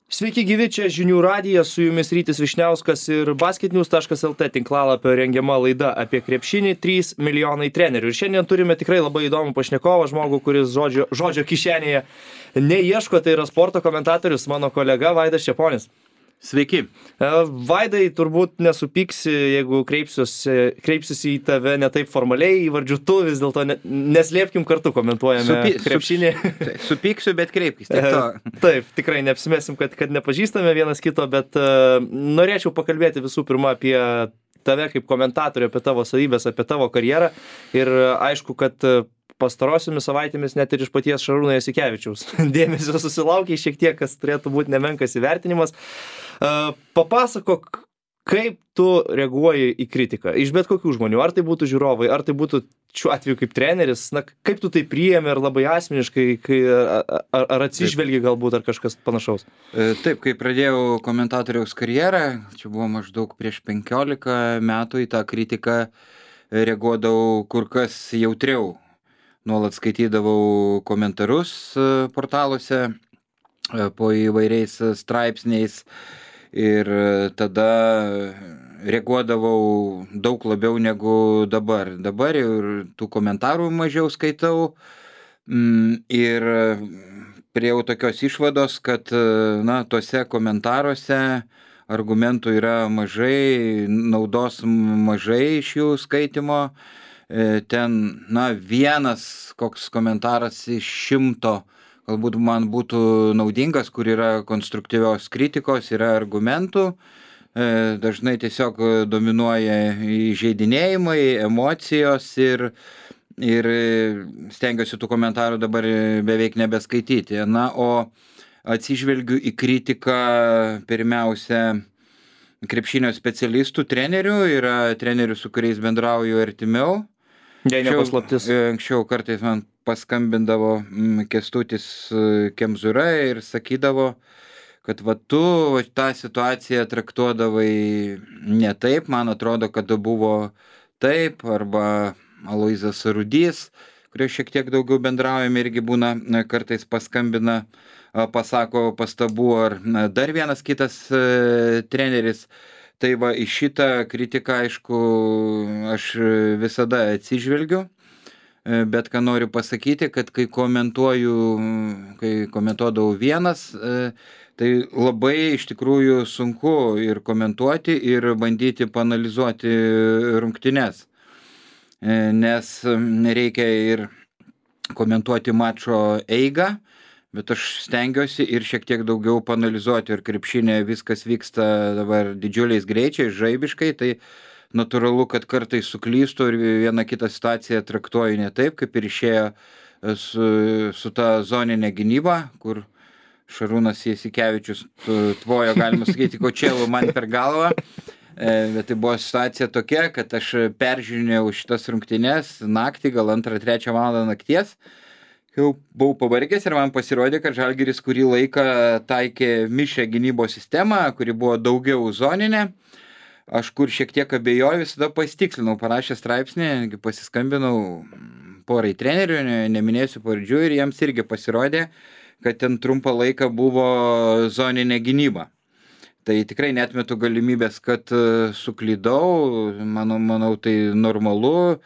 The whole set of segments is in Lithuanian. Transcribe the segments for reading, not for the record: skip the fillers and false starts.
Sveiki gyvi, čia Žinių radijas, su jumis Rytis Višniauskas ir basketnews.lt tinklalapio rengiama laida apie krepšinį 3 milijonai trenerių. Ir šiandien turime tikrai labai įdomų pašnekovą, žmogų, kuris žodžio kišenėje neieško, tai yra sporto komentatorius, mano kolega Vaidas Čeponis. Sveiki. Vaidai, turbūt nesupyksi, jeigu kreipsiuosi į tave ne taip formaliai, įvardžiu tu, vis dėlto neslėpkim kartu komentuojame krepšinį. Supyksiu, bet kreipkis. Taip, tikrai neapsimesim, kad nepažįstame vienas kito, bet norėčiau pakalbėti visų pirma apie tave kaip komentatorių, apie tavo savybės, apie tavo karjerą. Ir aišku, kad pastarosiomis savaitėmis net ir iš paties Šarūno Jasikevičiaus dėmesio susilaukia šiek tiek, kas turėtų būti nemenkas įvertinimas. Papasakok, kaip tu reaguoji į kritiką iš bet kokių žmonių, ar tai būtų žiūrovai, ar tai būtų šiuo atveju kaip treneris, kaip tu tai priėmė ar labai asmeniškai, ar atsižvelgi galbūt, ar kažkas panašaus? Taip, kai pradėjau komentatoriaus karjerą, čia buvo maždaug prieš 15 metų, į tą kritiką reaguodavau kur kas jautriau. Nuolat skaitydavau komentarus portaluose po įvairiais straipsniais ir tada reaguodavau daug labiau negu dabar. Dabar ir tų komentarų mažiau skaitau ir priėjau tokios išvados, kad tuose komentaruose argumentų yra mažai, naudos mažai iš jų skaitimo. Ten, vienas koks komentaras iš 100 galbūt man būtų naudingas, kur yra konstruktyvios kritikos, yra argumentų. Dažnai tiesiog dominuoja įžeidinėjimai, emocijos ir stengiuosi tų komentarų dabar beveik nebeskaityti. O atsižvelgiu į kritiką pirmiausia krepšinio specialistų, trenerių, yra trenerių, su kuriais bendrauju artimiau. Jei ne paslaptis. Anksčiau kartais man paskambindavo Kęstutis Kemzūra ir sakydavo, kad tu tą situaciją traktuodavai ne taip, man atrodo, kad buvo taip, arba Aloyzas Rudys, kurie šiek tiek daugiau bendraujame, irgi būna kartais paskambina, pasako pastabų, ar dar vienas kitas treneris. Tai į šitą kritiką, aišku, aš visada atsižvelgiu, bet ką noriu pasakyti, kad kai komentuodavau vienas, tai labai iš tikrųjų sunku ir komentuoti, ir bandyti paanalizuoti rungtynes, nes reikia ir komentuoti mačo eigą, bet aš stengiuosi ir šiek tiek daugiau paanalizuoti, ir krepšinė viskas vyksta dabar didžiuliais greičiais, žaibiškai, tai natūralu, kad kartais suklystu ir vieną kitą situaciją traktuoju ne taip, kaip ir išėjo su ta zoninė gynyba, kur Šarūnas Jasikevičius tvojo, galima sakyti, kočėlų man per galvą. Bet tai buvo situacija tokia, kad aš peržiūrinėjau šitas rungtynes naktį, gal 2-3 valandą nakties. Jau buvau pavargęs ir man pasirodė, kad Žalgiris kurį laiką taikė mišrią gynybos sistemą, kuri buvo daugiau zoninė. Aš kur šiek tiek abejoju, visada pasitikslinau, parašęs straipsnį, pasiskambinau porai trenerių, neminėsiu pavardžių, ir jiems irgi pasirodė, kad ten trumpą laiką buvo zoninė gynyba. Tai tikrai neatmetu galimybės, kad suklydau, manau tai normalu.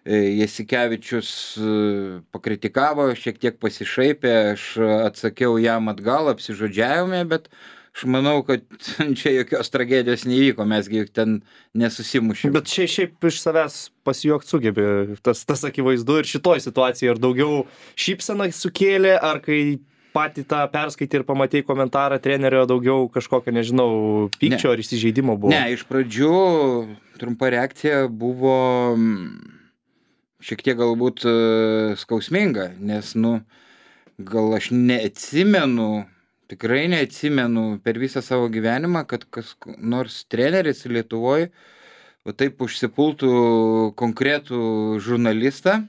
Jasikevičius pakritikavo, šiek tiek pasišaipė, aš atsakiau jam atgal, apsižodžiavome, bet aš manau, kad čia jokios tragedijos neįvyko, mesgi ten nesusimušėme. Bet šiaip iš savęs pasijuokt sugebė, tas akivaizdu, ir šitoj situacijai ar daugiau šypseną sukėlė, ar kai patį tą perskaitė ir pamatė komentarą trenerio, daugiau kažkokio, nežinau, pykčio ar įsižeidimo buvo? Ne, iš pradžių trumpa reakcija buvo šiek tiek galbūt skausminga, nes, gal aš neatsimenu, tikrai neatsimenu per visą savo gyvenimą, kad kas nors treneris Lietuvoje taip užsipultų konkretų žurnalistą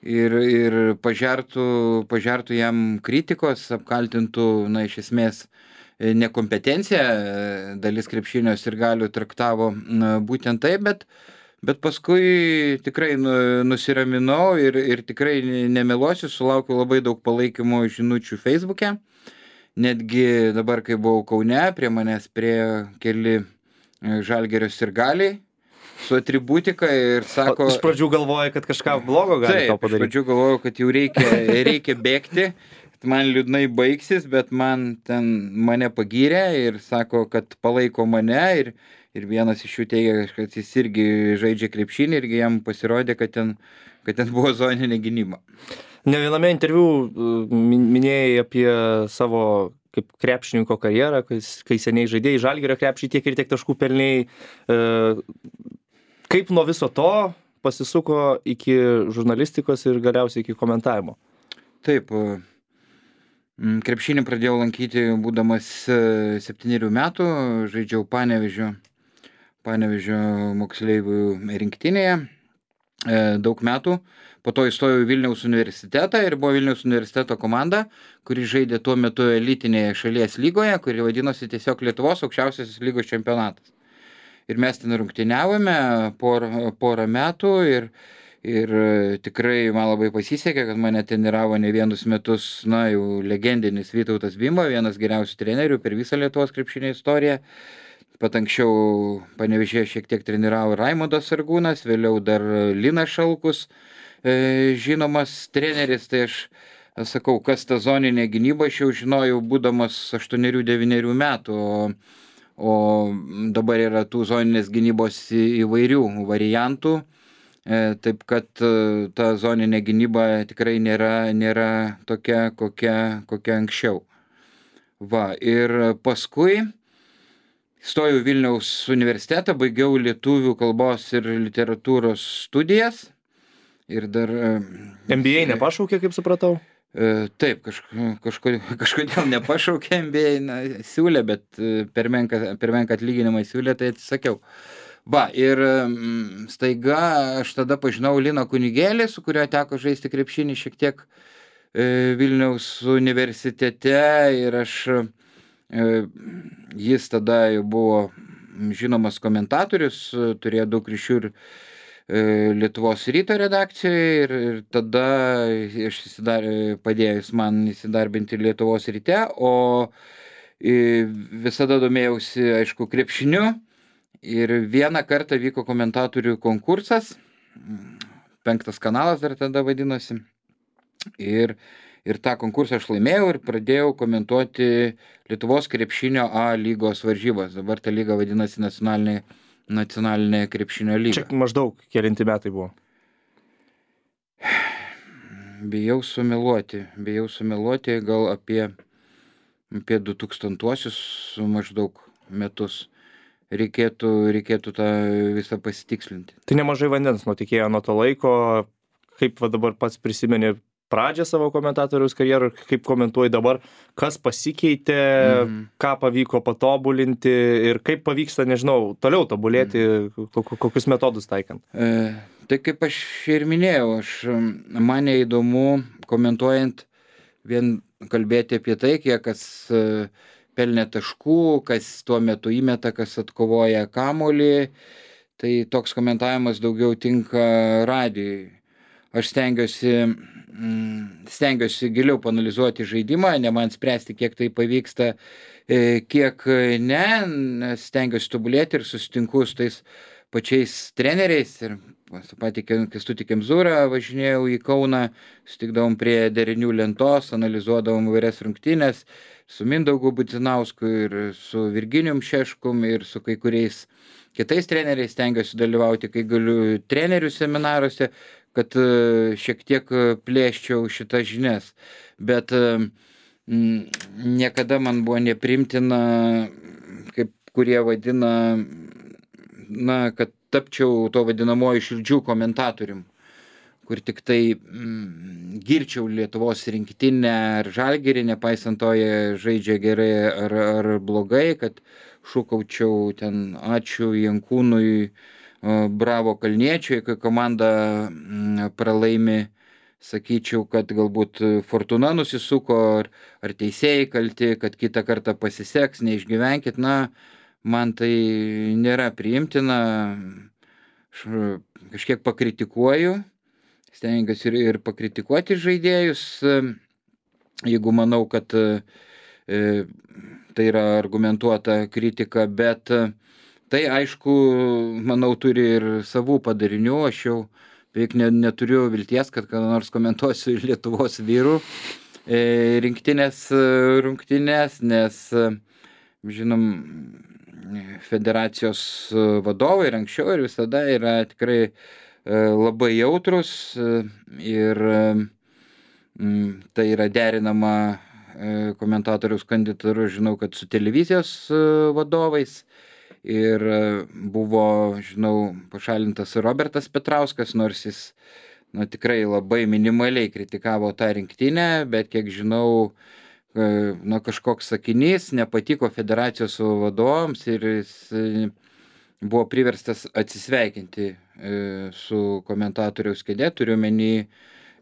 ir pažertų jam kritikos, apkaltintų, iš esmės, nekompetenciją. Dalis krepšinio sirgalių traktavo būtent taip, bet paskui tikrai nusiraminau ir tikrai nemeluosiu, sulaukiau labai daug palaikymo žinučių Facebook'e. netgi dabar, kai buvau Kaune, prie manęs prie keli Žalgirio sirgaliai su atributika ir sako... Iš pradžių galvoja, kad kažką blogo gali tau Taip, iš padaryti. pradžių galvojau, kad jau reikia bėgti, man liūdnai baigsis, bet mane pagyrė ir sako, kad palaiko mane ir vienas iš jų teigia, kad jis irgi žaidžia krepšinį irgi jam pasirodė, kad ten buvo zoninė gynyba. Ne viename interviu minėjai apie savo kaip krepšininko karjerą, kai seniai žaidėjai Žalgirio krepšį tiek ir tiek taškų pelnėjai. Kaip nuo viso to pasisuko iki žurnalistikos ir galiausiai iki komentavimo? Taip, krepšinį pradėjau lankyti būdamas 7 metų, žaidžiau Panevėžio moksleivių rinktinėje daug metų. Po to įstojau į Vilniaus universitetą ir buvo Vilniaus universiteto komanda, kuri žaidė tuo metu elitinėje šalies lygoje, kuri vadinosi tiesiog Lietuvos aukščiausiasis lygos čempionatas. Ir mes ten rungtyniavome porą metų ir tikrai man labai pasisekė, kad mane treniravo ne vienus metus, jau legendinis Vytautas Bimba, vienas geriausių trenerių per visą Lietuvos krepšinio istoriją. Pat anksčiau Panevėžyje šiek tiek treniravo Raimondas Sargūnas, vėliau dar Linas Šalkus, žinomas treneris. Tai aš sakau, kas ta zoninė gynyba, aš jau žinojau būdamas 8-9 metų, o dabar yra tų zoninės gynybos įvairių variantų, taip kad ta zoninė gynyba tikrai nėra tokia, kokia anksčiau. Ir paskui stojau Vilniaus universitetą, baigiau lietuvių kalbos ir literatūros studijas. Ir dar... MBA nepašaukė, kaip supratau? Taip, kažkodėl nepašaukė MBA, siūlė, bet per menką atlyginimą siūlė, tai atsisakiau. Ir staiga aš tada pažinau Liną Kunigėlį, su kuriuo teko žaisti krepšinį šiek tiek Vilniaus universitete ir jis tada jau buvo žinomas komentatorius, turėjo daug ryšių ir Lietuvos ryto redakcijoje ir tada aš padėjus man įsidarbinti Lietuvos ryte, o visada domėjausi, aišku, krepšiniu ir vieną kartą vyko komentatorių konkursas, 5 kanalas dar tada vadinosi, ir tą konkursą aš laimėjau ir pradėjau komentuoti Lietuvos krepšinio A lygos varžybas. Dabar ta lyga vadinasi nacionalinė krepšinio lyga. Čia maždaug kelinti metai buvo? Bijau sumeluoti, gal apie 2000-uosius maždaug metus. Reikėtų tą visą pasitikslinti. Tai nemažai vandens nutekėjo nuo to laiko. Kaip dabar pats prisimeni pradžią savo komentatoriaus karjerą, kaip komentuoji dabar, kas pasikeitė, ką pavyko patobulinti ir kaip pavyksta, nežinau, toliau tobulėti, kokius metodus taikant? Tai kaip aš ir minėjau, mane įdomu komentuojant vien kalbėti apie tai, kiek kas pelnė taškų, kas tuo metu įmeta, kas atkovoja kamuolį. Tai toks komentavimas daugiau tinka radijui. Aš stengiuosi giliau panalizuoti žaidimą, ne man spręsti, kiek tai pavyksta, kiek ne, stengiuosi tobulėti ir susitinku su tais pačiais treneriais ir su patį Kęstutį Kemzūrą važinėjau į Kauną, sutikdavom prie derinių lentos, analizuodavom įvairias rungtynes su Mindaugu Budzinausku ir su Virginijum Šeškum ir su kai kuriais kitais treneriais, stengiuosi dalyvauti, kai galiu, trenerių seminaruose, kad šiek tiek plėščiau šitas žinias. Bet niekada man buvo nepriimtina, kaip kurie vadina, kad tapčiau to vadinamoju širdžių komentatorium, kur tik tai girčiau Lietuvos rinktinę ar Žalgirį, nepaisant to jie žaidžia gerai ar blogai, kad šūkaučiau ten ačiū Jankūnui, bravo Kalniečiui, kai komanda pralaimi, sakyčiau, kad galbūt Fortuna nusisuko, ar teisėjai kalti, kad kitą kartą pasiseks, neišgyvenkit. Man tai nėra priimtina, aš kažkiek pakritikuoju, stengiuosi ir pakritikuoti žaidėjus, jeigu manau, kad tai yra argumentuota kritika, bet tai aišku, manau, turi ir savų padarinių. Aš jau beveik neturiu vilties, kad ką nors komentuosiu Lietuvos vyrų rinktinės rungtynės, nes žinom, federacijos vadovai ir anksčiau ir visada yra tikrai labai jautrus ir tai yra derinama komentatoriaus kandidatūra, žinau, kad su televizijos vadovais ir buvo, žinau, pašalintas Robertas Petrauskas, nors jis tikrai labai minimaliai kritikavo tą rinktinę, bet kiek žinau, kažkoks sakinys nepatiko federacijos vadovams ir jis buvo priverstas atsisveikinti su komentatoriaus kėde, turiu menį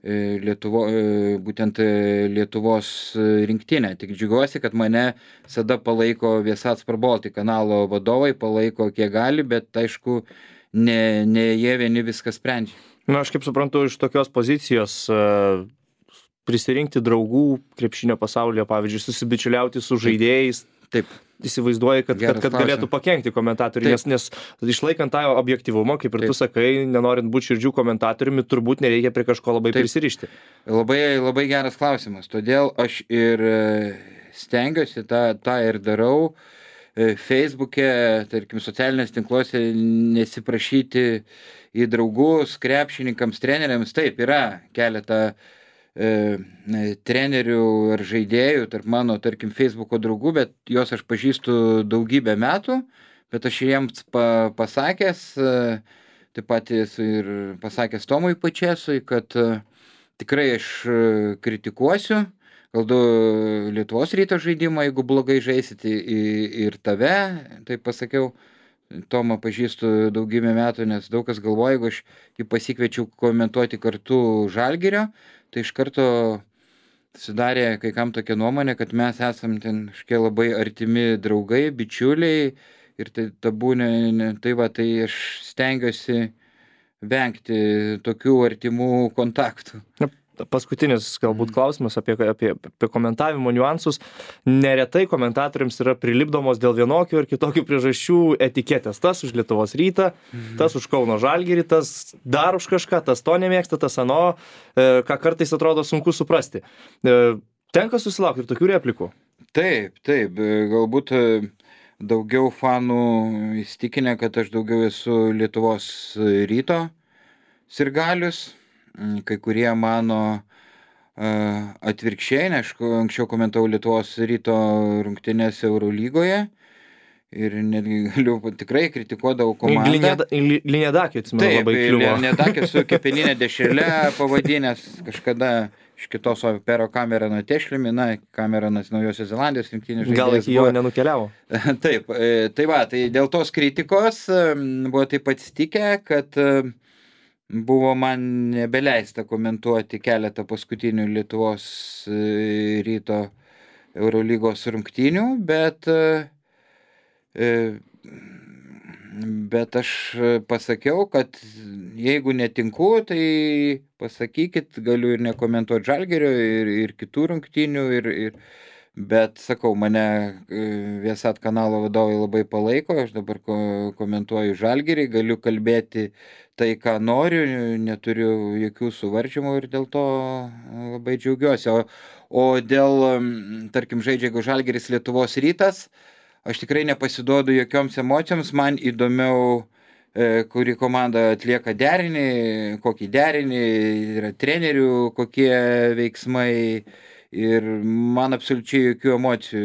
būtent Lietuvos rinktinę. Tik džiugiuosi, kad mane visada palaiko Viasat Sport Baltic kanalo vadovai, palaiko kiek gali, bet aišku, ne jie vieni viską sprendžia. Na, aš kaip suprantu, iš tokios pozicijos prisirinkti draugų krepšinio pasaulyje, pavyzdžiui, susibičiuliauti su žaidėjais. Taip. Įsivaizduoji, kad galėtų pakenkti komentatoriui, nes išlaikant tą objektyvumą, kaip ir tu sakai, nenorint būti širdžių komentatoriumi, turbūt nereikia prie kažko labai prisirišti. Labai, labai geras klausimas, todėl aš ir stengiuosi tą ir darau. Facebook'e, tarkim, socialinės tinkluose nesiprašyti į draugus, krepšininkams, treneriams. Taip, yra keletą trenerių ar žaidėjų tarp mano, tarkim, Facebook'o draugų, bet juos aš pažįstu daugybę metų, bet aš jiems pasakęs, taip pat ir pasakęs Tomui Pačėsui, kad tikrai aš kritikuosiu, gal du Lietuvos Ryto žaidimą, jeigu blogai žaisit, ir tave, tai pasakiau. Tomą pažįstu daugybę metų, nes daug kas galvoja, jeigu aš jį pasikviečiau komentuoti kartu Žalgirio, tai iš karto sudarė kai kam tokia nuomonė, kad mes esam ten kažkokie labai artimi draugai, bičiuliai ir tai tai aš stengiuosi vengti tokių artimų kontaktų. Paskutinis galbūt klausimas apie komentavimo niuansus. Neretai komentatoriams yra prilipdomos dėl vienokių ir kitokių priežasčių etiketės. Tas už Lietuvos Rytą, tas už Kauno Žalgirį, tas dar už kažką, tas to nemėgsta, tas ano, ką kartais atrodo sunku suprasti. Tenka susilaukti ir tokių replikų? Taip, galbūt daugiau fanų įsitikinę, kad aš daugiau esu Lietuvos Ryto sirgalius. Kai kurie mano atvirkščiai, aišku, anksčiau komentavau Lietuvos Ryto rungtynes Eurolygoje ir netgi galiu tikrai kritikuodavau komandą. Linėdakė, atsimenu, labai kliuvo. Taip, Linėdakė su kepeninė dešrele pavadinęs kažkada iš kitos Pero Camerono Tešlimi, Cameronas Naujosios Zelandijos rinktinės žaidėjas. Gal iki jo nenukeliavo? Taip, tai dėl tos kritikos buvo taip atsitikę, kad buvo man nebeleista komentuoti keletą paskutinių Lietuvos Ryto Eurolygos rungtynių, bet aš pasakiau, kad jeigu netinku, tai pasakykit, galiu ir nekomentuoti Žalgirio ir kitų rungtynių, bet sakau, mane Viasat kanalo vadovai labai palaiko, aš dabar komentuoju Žalgirį, galiu kalbėti tai, ką noriu, neturiu jokių suvaržymų ir dėl to labai džiaugiuosi. O dėl, tarkim, žaidžia jeigu Žalgiris Lietuvos Rytas, aš tikrai nepasiduodu jokioms emocijoms, man įdomiau, kuri komanda atlieka derinį, kokį derinį, yra trenerių, kokie veiksmai. Ir man absoliučiai jokių emocijų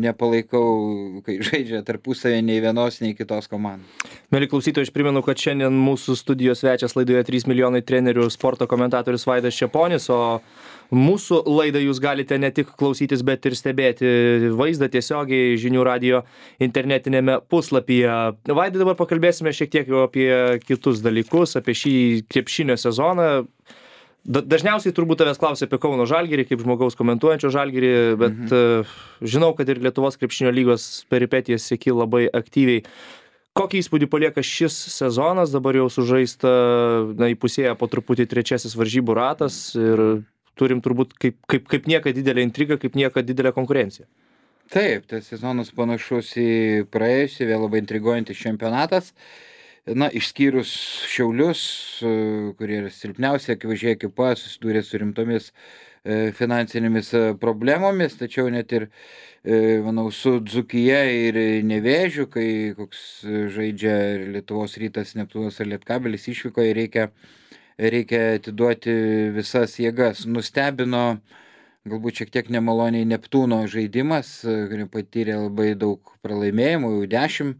nepalaikau, kai žaidžia tarpusavį nei vienos, nei kitos komandos. Mieli klausytojai, aš primenu, kad šiandien mūsų studijos svečias laidoje 3 milijonai trenerių sporto komentatorius Vaidas Čeponis, o mūsų laidą jūs galite ne tik klausytis, bet ir stebėti vaizdą tiesiogiai Žinių radijo internetinėme puslapyje. Vaidai, dabar pakalbėsime šiek tiek apie kitus dalykus, apie šį krepšinio sezoną. Dažniausiai turbūt tavęs klausia apie Kauno Žalgirį, kaip žmogaus komentuojančio Žalgirį, bet žinau, kad ir Lietuvos krepšinio lygos peripetijas seki labai aktyviai. Kokį įspūdį palieka šis sezonas, dabar jau sužaista, įpusėja po truputį trečiasis varžybų ratas ir turim turbūt kaip niekad didelę intrigą, kaip niekad didelę konkurenciją. Taip, tas sezonas panašus į praėjusį, vėl labai intriguojantis čempionatas. Na, išskyrus Šiaulius, kurie yra silpniausia, akivaizdžiai ekipa, susidūrė su rimtomis finansinėmis problemomis, tačiau net ir, manau, su Dzūkija ir Nevėžiu, kai koks žaidžia Lietuvos Rytas, Neptūnas ar Lietkabelis išvykoje, reikia atiduoti visas jėgas. Nustebino galbūt šiek tiek nemaloniai Neptūno žaidimas, kurie patyrė labai daug pralaimėjimų, jau 10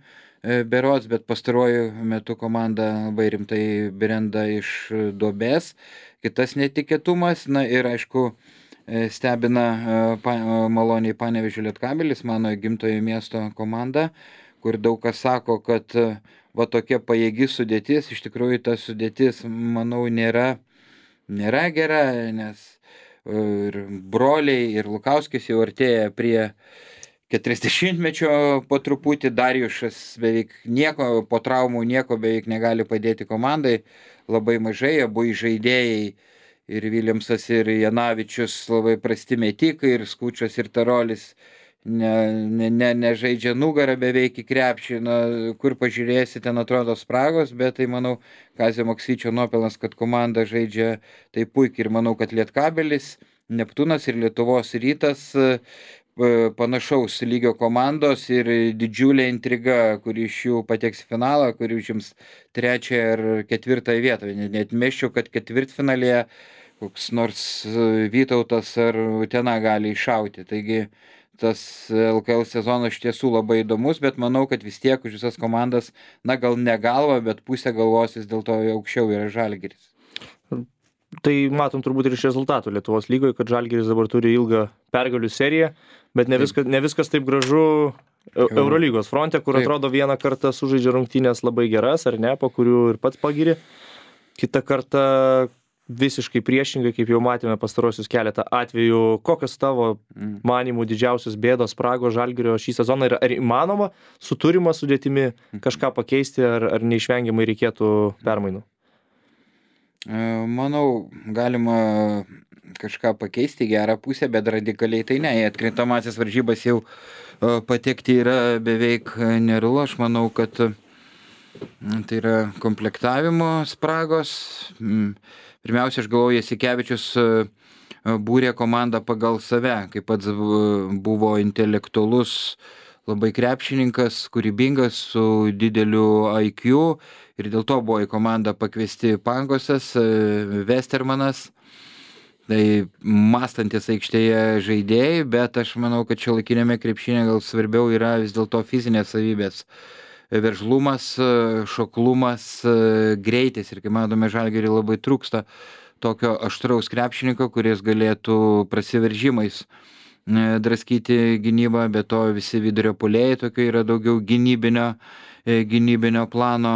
berods, bet pastaruoju metu komanda labai rimtai brenda iš duobės. Kitas netikėtumas, na ir aišku, stebina maloniai Panevėžio Lietkabelis, mano gimtojo miesto komanda, kur daug kas sako, kad va tokia pajėgi sudėtis, iš tikrųjų ta sudėtis, manau, nėra gera, nes ir broliai, ir Lukauskis jau artėja prie 40-mečio po truputį, Darijušas beveik nieko, po traumų nieko beveik negali padėti komandai, labai mažai, abu žaidėjai, ir Viljamsas, ir Janavičius labai prasti metikai, ir Skučas, ir Tarolis nežaidžia nugarą beveik į krepšį, kur pažiūrėsi, ten atrodo spragos, bet tai manau Kazio Maksvyčio nuopelnas, kad komanda žaidžia tai puikiai, ir manau, kad Lietkabelis, Neptūnas ir Lietuvos Rytas panašaus lygio komandos ir didžiulė intriga, kuri iš jų pateks į finalą, kuri užims 3 ar 4 vietą. Net meščiau, kad ketvirtfinalėje koks nors Vytautas ar Utena gali iššauti. Taigi tas LKL sezonas iš tiesų labai įdomus, bet manau, kad vis tiek už visas komandas, na gal ne galva, bet pusė galvos vis dėlto aukščiau yra Žalgiris. Tai matom turbūt ir iš rezultatų Lietuvos lygoje, kad Žalgiris dabar turi ilgą pergalių seriją, bet ne viskas taip gražu Eurolygos fronte, kur atrodo vieną kartą sužaidžia rungtynės labai geras, ar ne, po kurių ir pats pagiri. Kitą kartą visiškai priešingai, kaip jau matėme pastarosius keletą atvejų. Kokios tavo manymų didžiausios bėdos spragos Žalgirio šį sezoną ir ar įmanoma su turima sudėtimi kažką pakeisti, ar neišvengiamai reikėtų permainų? Manau, galima kažką pakeisti į gerą pusę, bet radikaliai tai ne. Į atkrintamasis varžybas jau patekti yra beveik nerealu. Aš manau, kad tai yra komplektavimo spragos. Pirmiausia, aš galvoju, Jasikevičius būrė komandą pagal save, kaip pats buvo intelektualus, labai krepšininkas, kūrybingas, su dideliu IQ, ir dėl to buvo į komandą pakviesti Pangosas, Westermanas, tai mąstantis aikštėje žaidėjai, bet aš manau, kad šiuolaikinėme krepšinėje gal svarbiau yra vis dėlto fizinės savybės. Veržlumas, šoklumas, greitis, ir kaip matome, Žalgiriui labai trūksta tokio aštraus krepšininko, kuris galėtų prasiveržimais draskyti gynybą, bet to visi vidurio puolėjai tokio yra daugiau gynybinio plano.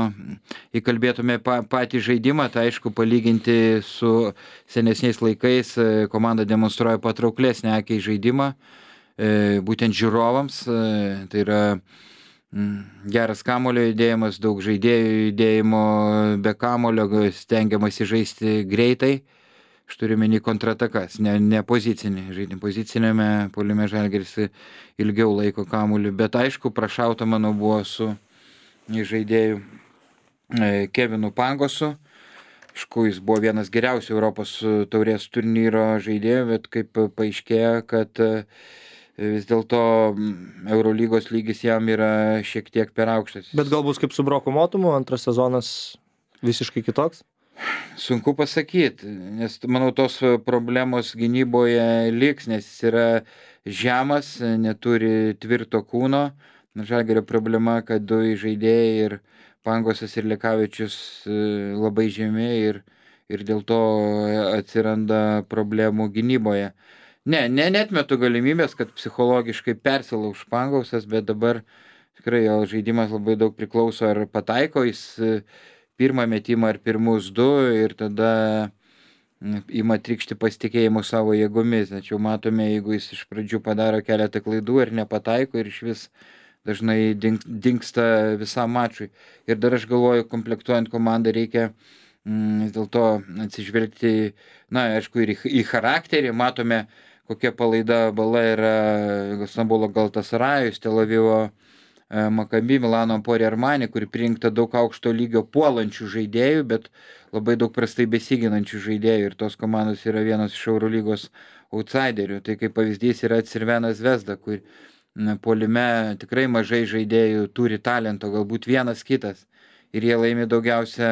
Įkalbėtume patį žaidimą, tai aišku, palyginti su senesniais laikais komanda demonstruoja patrauklesnį akiai žaidimą, būtent žiūrovams, tai yra geras kamulio judėjimas, daug žaidėjų judėjimo be kamulio, stengiamasi žaisti greitai. Aš turiu menį kontratakas, ne pozicinį žaidimą. Pozicinėme puolime Žalgiris ilgiau laiko kamuolį, bet aišku, prašauta mano buvo su žaidėju Kevinu Pangosu. Aišku, jis buvo vienas geriausių Europos taurės turnyro žaidėjų, bet kaip paaiškėjo, kad vis dėlto Eurolygos lygis jam yra šiek tiek per aukštas. Bet galbūt kaip su Broku Motumu, antras sezonas visiškai kitoks? Sunku pasakyti, nes manau tos problemos gynyboje liks, nes jis yra žemas, neturi tvirto kūno. Žalgirio problema, kad du žaidėjai, ir Pangosas ir Lekavičius, labai žemi, ir dėl to atsiranda problemų gynyboje. Netmetu galimybės, kad psichologiškai persilauš Pangosas, bet dabar tikrai jo žaidimas labai daug priklauso, ar pataiko jis pirmą metimą ar pirmus 2, ir tada ima trikšti pasitikėjimo savo jėgomis. Tačiau matome, jeigu jis iš pradžių padaro keletą klaidų ir nepataiko, ir iš vis dažnai dingsta visam mačui. Ir dar aš galvoju, komplektuojant komandą reikia vis dėlto atsižvelgti, na, aišku, ir į charakterį. Matome, kokia palaida bala yra Stambulo Galtasarajus, Tel Avivo Maccabi, Milano Emporia Armani, kuri prinkta daug aukšto lygio puolančių žaidėjų, bet labai daug prastai besiginančių žaidėjų, ir tos komandos yra vienas iš Eurolygos outsiderių. Tai kaip pavyzdys yra Crvena Zvezda, kur puolime tikrai mažai žaidėjų turi talento, galbūt vienas kitas, ir jie laimi daugiausia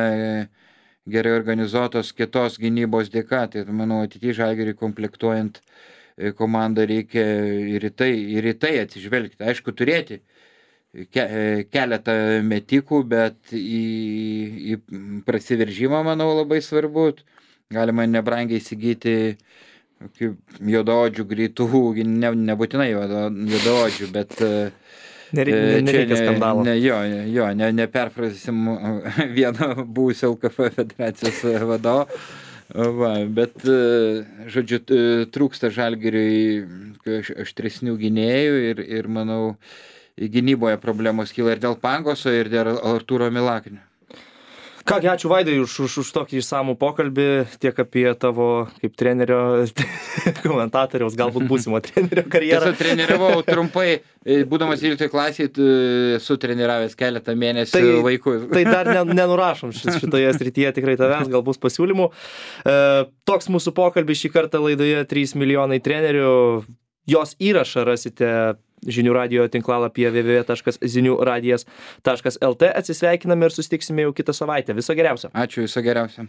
gerai organizuotos kitos gynybos dėka. Tai manau, ateityje Žalgiriui komplektuojant komandą reikia ir į tai atsižvelgti. Aišku, turėti keletą metikų, bet į prasiveržimą, manau, labai svarbu. Galima nebrangiai įsigyti juodaodžių greitų, nebūtinai juodaodžių, bet Nereikia skandalo. Neperfrasim vieno buvusio LKF federacijos vadovo. Bet, žodžiu, trūksta Žalgiriui aštresnių gynėjų ir manau, gynyboje problemos kyla ir dėl Pangoso, ir dėl Artūro Milaknio. Kągi, ačiū Vaidai už tokį išsamų pokalbį, tiek apie tavo kaip trenerio, komentatoriaus, galbūt būsimo trenerio karjerą. Esu treniravau trumpai, būdamas 12 klasėje, esu treniravęs keletą mėnesių vaikus. Tai dar nenurašom šitoje srityje tikrai tavęs, gal bus pasiūlymų. Toks mūsų pokalbis šį kartą laidoje 3 milijonai trenerių. Jos įrašą rasite Žinių radijo tinklalapyje www.ziniuradijas.lt. Atsisveikiname ir susitiksime jau kitą savaitę. Viso geriausio. Ačiū, viso geriausio.